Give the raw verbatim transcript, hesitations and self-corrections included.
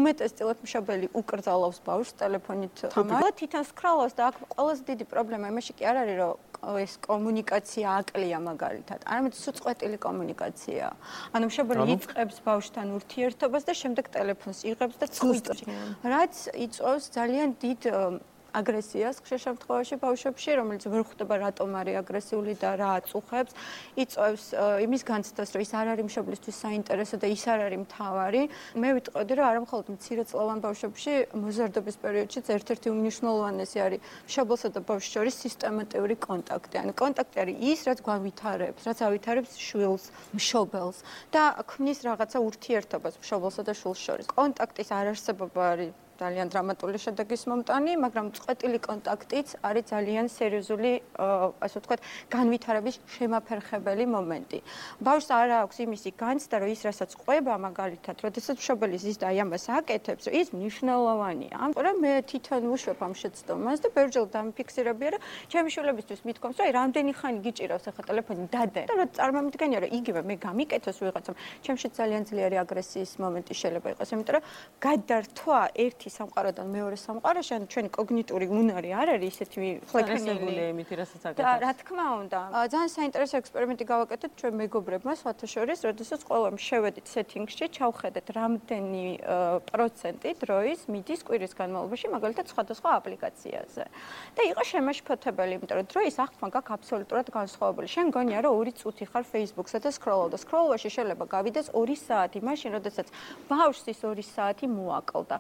უმეტესწილად მშობელი უკრძალავს ბავშვს ტელეფონით თამარ. თვითონ სკროლავს და აქ ყველაზე დიდი პრობლემა იმაში კი არ არის, რომ ეს კომუნიკაცია აკლია მაგალითად. არამედ სუწყვეტილი კომუნიკაციაა. ანუ მშობელი იწყებს ბავშვთან ურთიერთობას და შემდეგ ტელეფონს იღებს და წყვიტს. რაც იწვევს ძალიან დიდ აგრესიას ხშირ შემთხვევაში ბავშვებში, რომელიც ვერ ხვდება რატომ არის აგრესიული და რა აწუხებს, იწვევს იმის განცდას, რომ ის არ არის მშობლისთვის საინტერესო და ის არ არის მთავარი. მე ვიტყოდი, რომ არა მხოლოდ მცირეწლოვან ბავშვებში, მოზარდობის პერიოდშიც ერთ-ერთი უმნიშვნელოვანესი არის მშობლსა და ბავშვს შორის სისტემატიური კონტაქტი. ანუ კონტაქტი არის ის, რაც გავითარებს, რაც ავითარებს შვილს, მშობელს და ქმნის რაღაცა ურთიერთობას მშობლსა და შვილს შორის. კონტაქტის არარსებობა არის ძალიან დრამატული შედეგის მომტანი, მაგრამ წყვეტილი კონტაქტიც არის ძალიან სერიოზული, ასე ვთქვათ, განვითარების შემაფერხებელი მომენტი. ბავშვს არ აქვს იმისი განცდა, რომ ის რასაც ყვება მაგალითად, როდესაც მშობელი ზის და აი ამას აკეთებს, ის მნიშვნელოვანია. ამიტომ მე თვითონ ვუშვებ ამ შეცდომას და ბევრჯერ დამიფიქსირებია, რომ ჩემი შვილებისთვის მithkoms, რომ აი რამდენი ხანი გიჭირავს ახლა ტელეფონი დადე. და რა წარმომიდგენია, რომ იგივე მე გამიკეთოს ვიღაცამ, ჩემში ძალიან ძლიერი აგრესიის მომენტი შეიძლება იყოს, იმიტომ რომ გადართვა ერთი სამყაროდან მეორე სამყაროში, ან ჩვენი კოგნიტური უნარი არ არის ისეთი ფლექსიბლური იმით, რასაც აკეთებს. და რა თქმა უნდა, ძალიან საინტერესო ექსპერიმენტი გავაკეთეთ ჩვენ მეგობრებმა, სხვათა შორის, როდესაც ყველამ შევედით სეტინგში, ჩავხედეთ რამდენი პროცენტი დროის მიდის კვირის განმავლობაში, მაგალითად სხვადასხვა აპლიკაციაზე. და იყო შემაშფოთებელი, იმიტომ რომ დროის აღქმა გაქვს აბსოლუტურად განსხვავებული. შენ გონია, რომ ორი წუთი ხარ Facebook-სა და სკროლავ და სკროლობაში შეიძლება გავიდეს ორი საათი, მაშინ როდესაც ბავშვს ის ორი საათი მოაკლდა.